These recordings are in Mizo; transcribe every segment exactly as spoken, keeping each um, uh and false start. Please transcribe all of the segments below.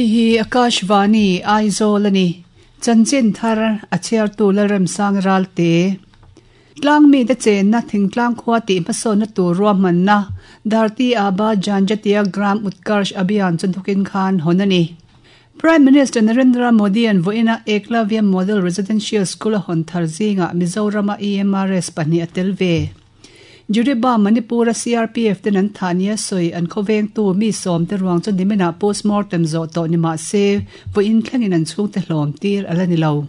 Hei hi Akashvani Aizawl ani. Chanchin thar a chhiartu Lalremsang Ralte. Tlang mi te chenna thingtlang khua tih hmasawnna tur ruahmanna Dharti Aba Janjatiya Gram Utkarsh Abhiyan chu thukin khan hawn ani. Prime Minister Narendra Modi an voina Eklavya Model Residential School a hawn thar zinga Mizorama E M R S pahnih a tel ve. Juriba Manipura C R P F ten an thania soi an khoveng tu mi som te ruang chu nimina postmortem zo to ni ma se voin thlengin an chung te hlawm tir ala ni lo.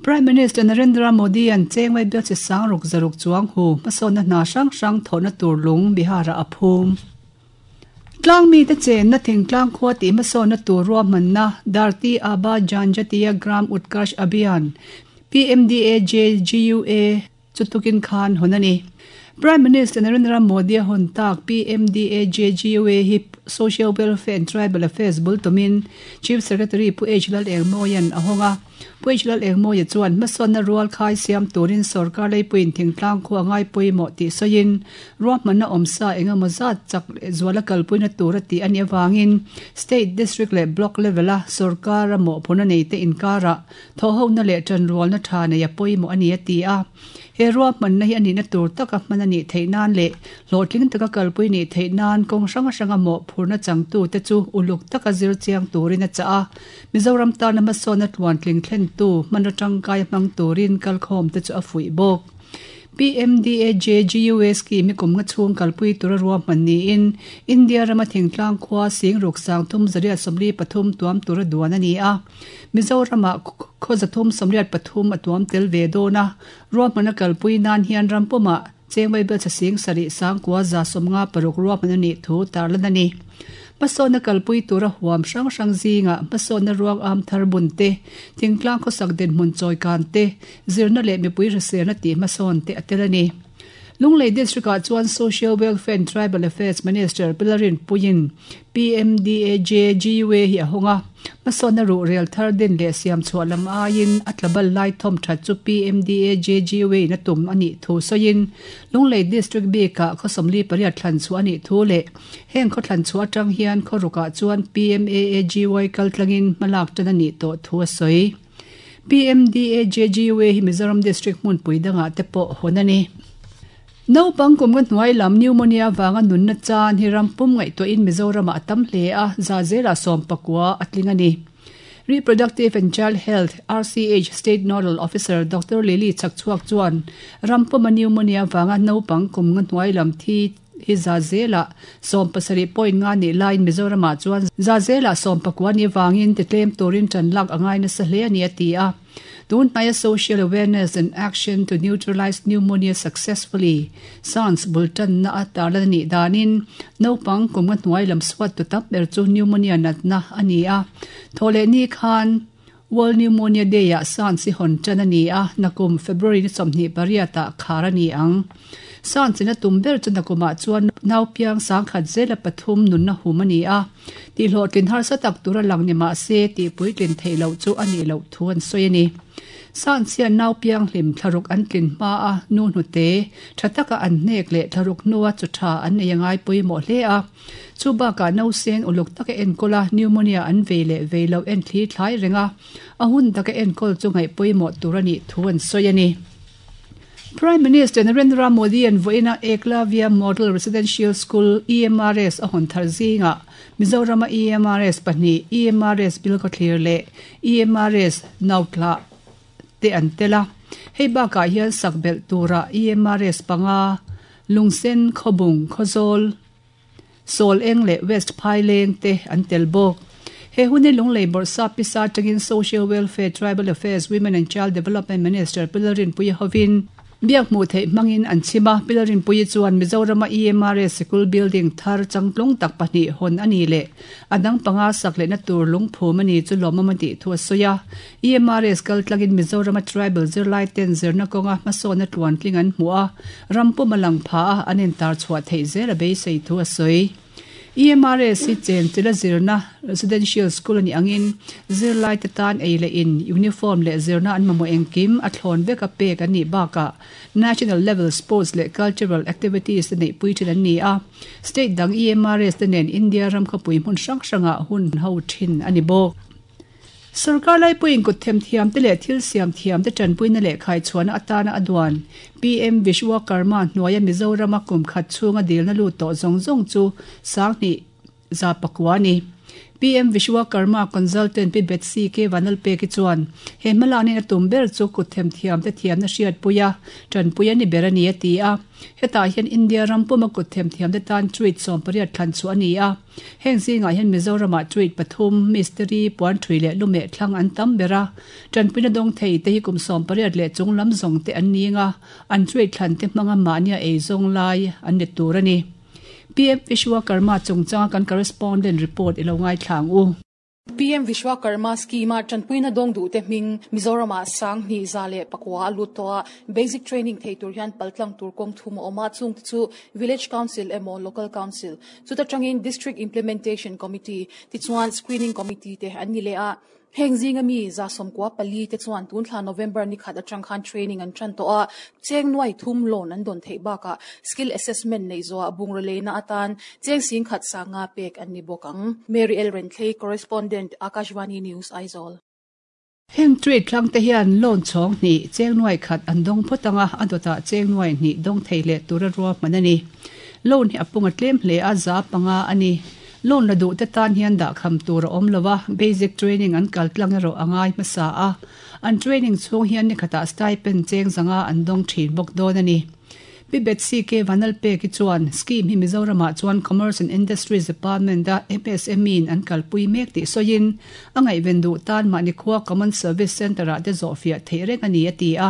Prime Minister Narendra Modi an chengwai bel chi sang ruk zaruk chuang hu masona na sang sang thona tur lung Bihara aphum. Tlang mi te chen na thingtlang khua ti masona tur ruahmanna Dharti Aba Janjatiya Gram Utkarsh Abhiyan P M D A J G U A chutukin khan honani. Prime Minister Narendra Modi hon tak P M D A J G U A hi Social Welfare and Tribal Affairs bultumin Chief Secretary Pu H Lal Engmoyan ahonga Pu H Lal Engmoya chuan masona rual khai siam turin sarkar leipuin thingtlang khua ngai puimo ti soin ruahmanna omsa engemaw zat chak zuala kalpuina tura ti ani awangin state district le block level a sarkar a mo phuna nei te inkara thohona le tan rualna tha nei a poimo ani ati a he ruahmanna hi ani na tur taka hmanani theinan le hlawhtling taka kalpui ni theinan kawng hrang hranga mo phurna changtu te chu uluk taka zir chiang turin a cha a Mizoram tana hmasawna tluan tling thlen tu hmanraw tangkai hmang turin kalkhawm te chu a fuih bawk. P M D A J G U A scheme kum nga chhung kalpui tura ruahman niin India rama thingtlang khua sing ruk sang thum zariat sawmli pathum tuam tura duan ani a Mizorama khawzathum sawmriat pathum a tuam tel ve dawna ruahmana kalpui nan hian rampuma chengwai bel cha sing sarih sangkua za sawmnga paruk ruahman ani thu tarlan ani. Hmasawna kalpui tura huam hrang hrang zinga hmasawna ruang am thar bun te thingtlang khawsak dinhmun chawi kan te zirna leh mipui hriselna tih hmasawn te a tel ani. Lunglei District ah chuan Social Welfare and Tribal Affairs Minister Pilarin Puiin P M D A J G U A hi a hawnga hmasawna ruh rel thar din leh siam chhuah lam aiin a tlabal lai thawm that chu P M D A J G U A na tum ani thu sawiin Lunglei District bikah khawsawmli pariat thlan chu ani thu leh heng khaw thlan chu atang hian khaw rukah chuan P M A A G Y kaltlangin hmalak tan ani tawh thu a sawi. P M D A J G U A hi Mizoram District hmunpui dangah te pawh hawn ani. Naupang kum nga hnuai lam pneumonia wanga nunna chan hi rampum ngaihtuahin Mizorama a tam hle a za zela sawm pakua a tling ani. Reproductive and Child Health R C H State Nodal Officer Doctor Lily Chakchuak chuan rampuma pneumonia wanga naupang kum nga hnuai lam thi hi za zela sawm pasarih point nga ni lain Mizorama chuan za zela sawm pakua ni wangin titlem turin tan lak angai nasa hle ani a ti a. Tun hnaia social awareness and action to neutralize pneumonia successfully sans bultan na a tarlan ani danin naupang kum nga hnuai lam suat tu tam ber chu pneumonia natna ani a thawleh ni khan World Pneumonia Day a sans hi hawn tan ani a nakum February ni sawmhnih pariatah khar ani ang. Sans ina tum ber chu nakumah chuan naupiang sangkhat zela pathum nunna hum ani a ti hlawhtlin harsa tak tura lang ni mah se tih puitlin theih loh chu ani loh thu an sawi ani. Sans hian naupiang hlim thlaruk an tlin hma a nu hnute tha taka an hnek leh thlaruk hnua chu tha an nei angai pawimawh hle a chu bakah nausen uluk taka enkawl a pneumonia an vei leh vei loh en thli thlai renga a hun taka enkawl chu ngaih pawimawh tur ani thu an sawi ani. Prime Minister Narendra Modi an voina Eklavya Model Residential School E M R S a hawn thar zinga Mizorama E M R S pahnih E M R S Bilkhawthlir leh E M R S Nautla te an tela hei bakah hian sakbelh tura E M R S panga Lungsen Khawbung Khawzawl Sawl Eng leh West Phaileng te an tel bawk. He huni Lunglei Bawrhsa pisa atangin Social Welfare Tribal Affairs Women and Child Development Minister Pilarin Puia hovin biak hmuh theih hmangin an chhima Pilarin Puia chuan Mizorama E M R S Sikul Building thar changtlung tak pahnih hawn ani leh a dang panga sak lehna tur lungphum ani chu lawmawm a tih thu a sawi a E M R S kaltlangin Mizorama Tribal zirlai ten zirna kawnga hmasawna tluan tling an hmu a rampum a lang pha a an intar chhuah theih zel a beisei thu a sawi. E M R S hi chen chila zirna residential school ani angin zirlai te tan ei le in uniform le zirna an mamo engkim a thlon veka pek ani baka national level sports le cultural activities te nei pui thin an ni a state dang E M R S te nen India ram khapui hmun hrang hranga hun ho thin ani bawk. Sarkar lai puin kut them thiam te le thil siam thiam te tanpui na le khai chuan atana adwan P M Vishwakarma hnuaia Mizoram a kum khat chunga dilna lu to zong zong chu sangni za pakwani P M Vishwakarma consultant P Betsy K Vanalpe ki chuan he malani na tumber chu kut them thiam te thiam na hriat puya tanpuya ni berani ati a heta hian India rampuma kut them thiam te tan tweet som pariat thlan chu ani a heng zinga hian Mizoram a tweet pathum mystery puan thui le lume thlang an tam bera tanpuina dong thei te hi kum som pariat le chunglam zong te an ninga an tweet thlan te hmanga mania ei zong lai an ni tur ani P M Vishwakarma chungchang kan correspondent report ilongai thlang u. P M Vishwakarma scheme a tanpuina dong du te hming Mizoram a sang ni zale pakwa lutoa basic training thei tur hian paltlang tur kong thum oma chung chu village council emo local council chuta tangin district implementation committee ti chuan screening committee te ani le a heng zinga mi za somkwa pali te chuan tun thla November ni khat atang khan training an tran to a cheng nuai thum loan an don thei baka skill assessment nei zo a bung rele na atan cheng sing khat sanga pek an ni bokang. Mary L Rentley, correspondent, Akashvani News, Aizawl. Heng trade thlang te hian loan chong ni cheng nuai khat an dong photanga adota cheng nuai ni dong thei le tura ruwa manani loan hi apunga tlem hle a za panga ani loan la du te tan hian da kham tur om lova basic training an kal tlang ro angai masa a an training chung hian ni khata stipend cheng zanga an dong thin bok don ani Bibet C K Vanalpe ki chuan scheme hi Mizoram ah chuan Commerce and Industries Department da M S M E in an kalpui mek ti soin angai vendu tan mani khua Common Service Center ah te zofia theireng ani ati a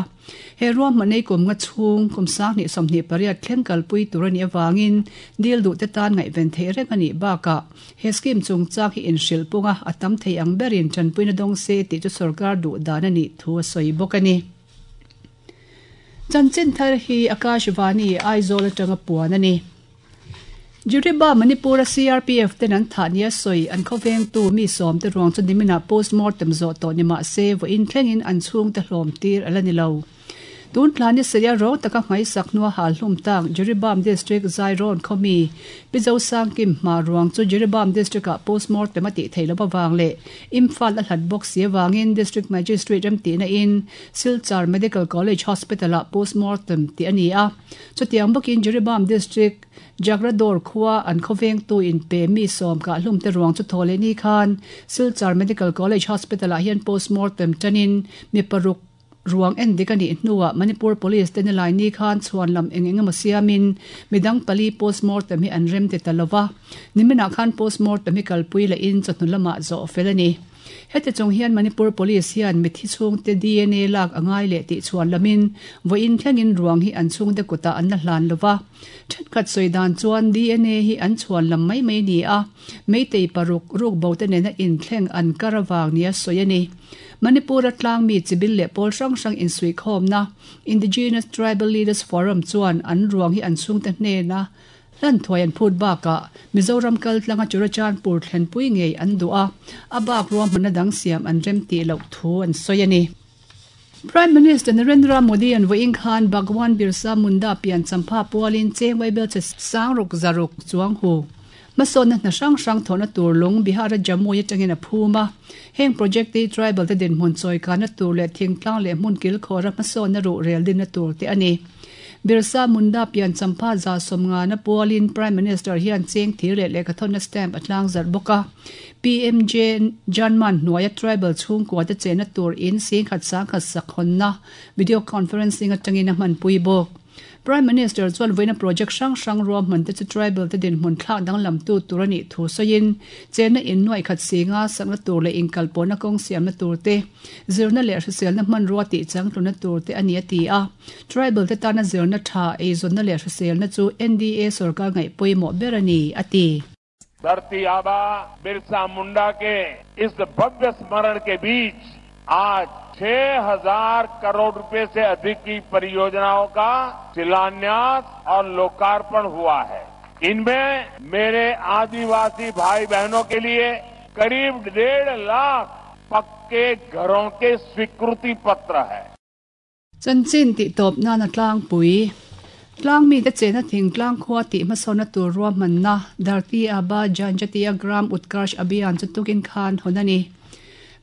he ruam manei kum nga chung kum sang ni somni pariat thleng kalpui turani awangin dil du te tan ngai ven theireng ani baka he scheme chung chak hi in hril punga atam thei ang berin chanpuina dong se ti chu sarkar du dan ani thu soi bokani. Chanchin thar hi Akashvani Aizawl atanga puan ani. Juriba Manipur C R P F ten an thania soi an khoveng tu mi som te ruang chu nimina postmortem zo to nima se vo in thlengin an chung te hlom tir alani lo. Tun thlani seria ro taka ngai saknuwa hal hlum tak Jiribam district Zairon khomi Pizo Sangkim ma ruang chu Jiribam district a postmortem ati theilo bawang le Imphal a hlat box ye wangin district magistrate ram ti na in Silchar Medical College Hospital a postmortem ti ani a chutiang bokin Jiribam district Jagrador khuwa an khoveng tu in pe mi som ka hlum te ruang chu thole ni khan Silchar Medical College Hospital a hian postmortem tanin mi paruk ruang en dikani hnuwa Manipur Police te nilai ni khan chuan lam eng eng emaw siamin midang pali postmortem hi an rem ti talova nimina khan postmortem hi kalpui la in chawhnu lama zo felani heti chung hian Manipur Police hian mithi chhung te D N A lak angai le ti chuan lamin voin thlengin ruang hi an chhung te kuta an la hlan lova thenkhat soidan chuan D N A hi an chuan lam mai mai ni a meitei paruk ruk bo te nena in thleng an karawang nia soyani Manipur atlang mi chibil le pol hrang hrang in sui khom na Indigenous Tribal Leaders Forum chuan an ruang hi an chung te hne na lan thoi an phut baka Mizoram kal tlanga Churachandpur thlenpui ngei an dua abak ruam hmana dang siam an rem ti lo thu an soyani. Prime Minister Narendra Modi an voing khan Bhagwan Birsa Munda pian champha pualin chengwai bel che sangruk zaruk chuang hu mason na hrang hrang thona tur lung Bihar Jammu ye tangin a phuma heng project te tribal te din hmun choi kana tur le thingtlang le hmun kil khora mason na ru rel din na tur te ani Birsa Munda pian champha za somnga na pualin Prime Minister hian cheng thir le le kathon na stamp atlang zar boka P M J Janman hnuaia tribal chhung kwa te chena tur in sing khat sang khat sakhon na video conferencing atangin a hman pui bawk. Prime Minister chuan voina project hrang hrang ruam hmun te chu tribal te din hmun thlak dang lam tu turani thu soin chena in nuai khat singa sakna tur le inkal pona kong siam na tur te zirna le hriselna hman ruwa ti chang tluna tur te ani ati a tribal te tana zirna tha ei zonna le hriselna chu N D A sarkar ngai poimo berani ati. Dharti Aba Birsa Munda के इस भव्य स्मरण के बीच आज छह हजार करोड़ रुपए से अधिक की परियोजनाओं का शिलान्यास और लोकार्पण हुआ है। इनमें मेरे आदिवासी भाई बहनों के लिए करीब डेढ़ लाख पक्के घरों के स्वीकृति पत्र है। Chanchin tihtawp nana tlangpui. Tlangmite chena thingtlang khua tih hmasawnna tur ruahmanna Dharti Aba Janjatiya Gram Utkarsh Abhiyan chu tukin khan hawn a ni.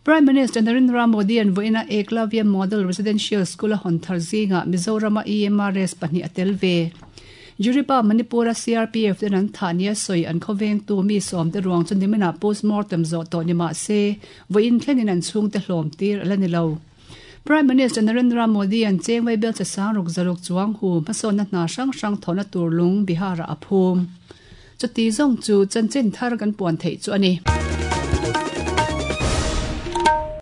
Prime Minister Narendra Modi an vawiina Eklavya Model Residential School a hawn thar zingah Mizorama E M R S pahnih a tel ve. Juripa Manipura C R P F ten an thah nia sawi an khawvengtu mi sawmte ruang chu niminah postmortem zawh tawh ni mah se vawiin thlengin an chhungte hlawm tir a la ni lo. Prime Minister Narendra Modi an chengwei bel che sang ruk zaruk chuang hu hmasawnna hna hrang hrang thawhna tur lung Bihar-ah a phum. Chuti zawng chu chanchin thar kan puan theih chu a ni.